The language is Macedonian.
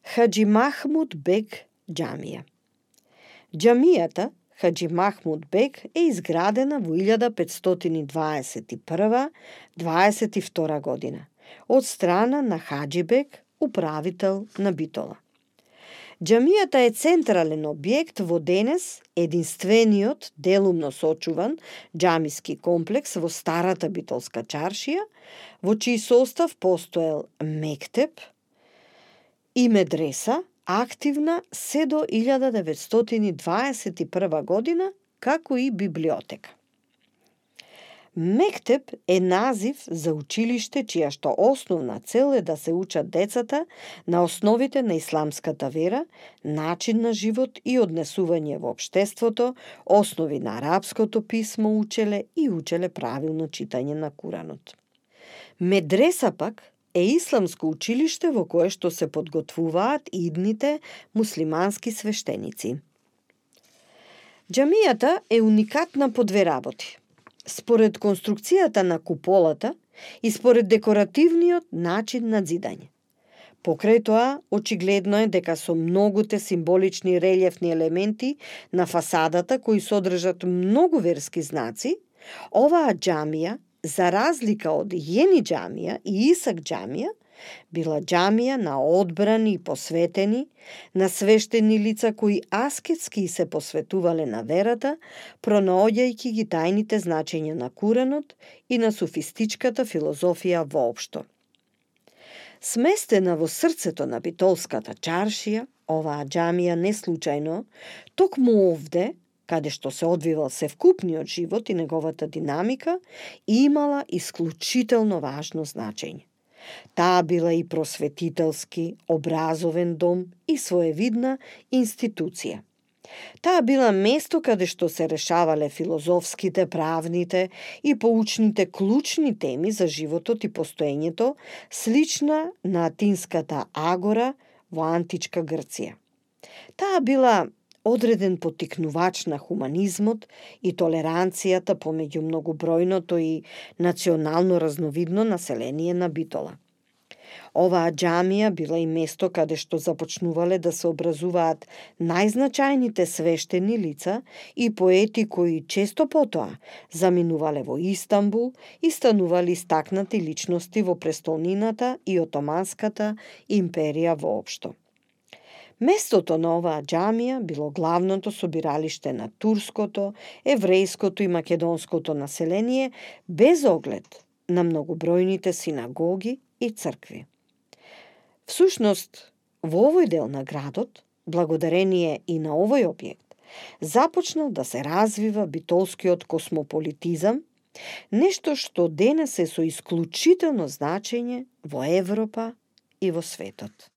Хаџи Махмуд бег џамија. Џамијата Хаџи Махмуд бег е изградена во 1521-22 година од страна на Хаџи бег, управител на Битола. Џамијата е централен објект во денес единствениот делумно сочуван џамиски комплекс во старата битолска чаршија, во чиј состав постоел мектеп и медреса, активна се до 1921 година, како и библиотека. Мектеп е назив за училиште чија што основна цел е да се учат децата на основите на исламската вера, начин на живот и однесување во општеството, основи на арапското писмо учеле и учеле правилно читање на Куранот. Медреса пак е исламско училиште во кое што се подготвуваат идните муслимански свештеници. Џамијата е уникатна по две работи. Според конструкцијата на куполата и според декоративниот начин на зидање. Покрај тоа, очигледно е дека со многуте символични релјефни елементи на фасадата кои содржат многу верски знаци, оваа џамија, за разлика од Јени џамија и Исак џамија, била џамија на одбрани и посветени, на свештени лица кои аскетски се посветувале на верата, пронаоѓајќи ги тајните значења на Куранот и на суфистичката филозофија воопшто. Сместена во срцето на битолската чаршија, оваа џамија не случајно, токму овде, каде што се одвивал севкупниот живот и неговата динамика, имала исклучително важно значење. Таа била и просветителски, образовен дом и своевидна институција. Таа била место каде што се решавале филозофските, правните и поучните клучни теми за животот и постоењето, слична на атинската агора во античка Грција. Таа била одреден поттикнувач на хуманизмот и толеранцијата помеѓу многобројното и национално разновидно население на Битола. Оваа џамија била и место каде што започнувале да се образуваат најзначајните свештени лица и поети кои често потоа заминувале во Истанбул и станувале истакнати личности во престолнината и Отоманската империја воопшто. Местото на оваа џамија било главното собиралиште на турското, еврејското и македонското население без оглед на многобројните синагоги и цркви. Всушност, во овој дел на градот, благодарение и на овој објект, започнал да се развива битолскиот космополитизам, нешто што денес е со исклучително значење во Европа и во светот.